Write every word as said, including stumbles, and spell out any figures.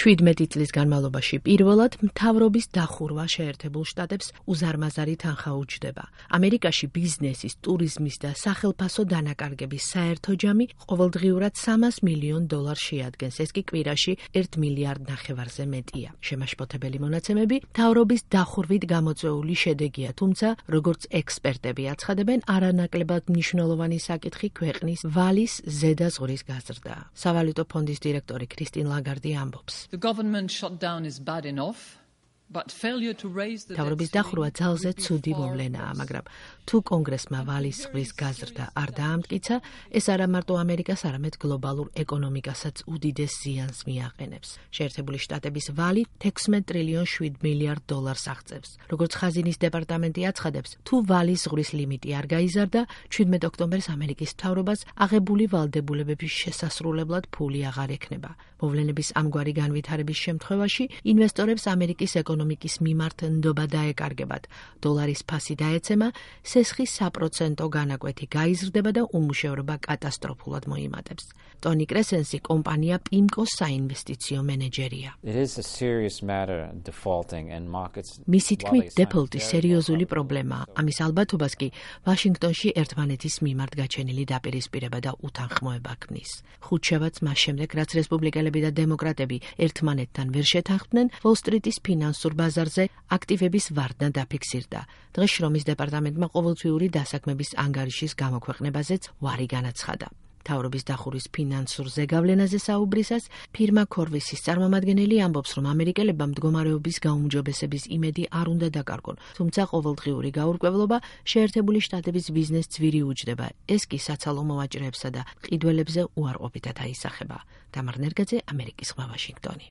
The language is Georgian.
შვიდმეტი წლის განმავლობაში პირველად მთავრობის დახურვა შეერთებულ შტატებს უზარმაზარი თანხა უჯდება. ამერიკაში ბიზნესის, ტურიზმის და სახელფასო დანაკარგების საერთო ჯამი ყოველდღიურად სამას მილიონ დოლარს შეადგენს, ეს კი კვირაში ერთ მილიარდ ნახევარზე მეტია. შემაშფოთებელი მონაცემები მთავრობის დახურვით გამოწვეული შედეგია, თუმცა, როგორც ექსპერტები აცხადებენ, არანაკლებად მნიშვნელოვანი საკითხი ქვეყნის ვალის ზედა ზღვის გაზრდა. სავალუტო ფონდის დირექტორი კრისტინ ლაგარდი ამბობს. The government shutdown is bad enough, but failure to raise the თავრობის დახურვა ძალზე ცუდი მოვლენაა, მაგრამ თუ კონგრესმა ვალის ზღვის გაზრდა არ დაამტკიცა, ეს არა მარტო ამერიკას, არამედ გლობალურ ეკონომიკასაც უდიდეს ზიანს მიაყენებს. შეერთებული შტატების ვალი თექვსმეტ ტრილიონ შვიდ მილიარდ დოლარს აღწევს. როგორც ხაზინის დეპარტამენტი აცხადებს, თუ ვალის ზღვის ლიმიტი არ გაიზარდა, შვიდმეტ ოქტომბერს ამერიკის მთავრობას აღებული ვალდებულებების შესასრულებლად ფული აღარ ექნება. მოვლენების ამგვარი განვითარების შემთხვევაში ინვესტორებს ამერიკის ეკონომიკის მიმართ ნდობა დაეკარგებათ. დოლარის ფასი დაეცემა, სესხის საპროცენტო განაკვეთი გაიზრდება და უმუშევრობა კატასტროფულად მოიმატებს. ტონი კრესენსი კომპანია პიმკოს საინვესტიციო მენეჯერია. მისი თქმით, დეფოლტი სერიოზული პრობლემაა. ამის ალბათობას კი ვაშინგტონში ერთმანეთის მიმართ გაჩენილი დაპირისპირება და უთანხმოება ქმნის. ხუთშაბათს მას შემდეგ, რაც რესპუბლიკელები და დემოკრატები ერთმანეთთან ვერ შეთანხმდნენ, ვოლ-სტრიტის ფინანსურ ბაზარზე აქტივების ვარდნა დაფიქსირდა. დღეს შრომის დეპარტამენტმა ყოველთვიური დასაქმების ანგარიშის გამოქვეყნებაზეც ვარი განაცხადა. მთავრობის დახურვის ფინანსურ ზეგავლენაზე საუბრისას ფირმა ქორვისის წარმომადგენელი ამბობს, რომ ამერიკელებმა მდგომარეობის გაუმჯობესების იმედი არ უნდა დაკარგონ, თუმცა ყოველდღიური გაურკვევლობა შეერთებული შტატების ბიზნესს ძვირი უჯდება. ეს კი საცალო მოვაჭრეებსა და მყიდველებზე უარყოფითად აისახება. დამარ ნერგაძე, ამერიკის ხმა, ვაშინგტონი.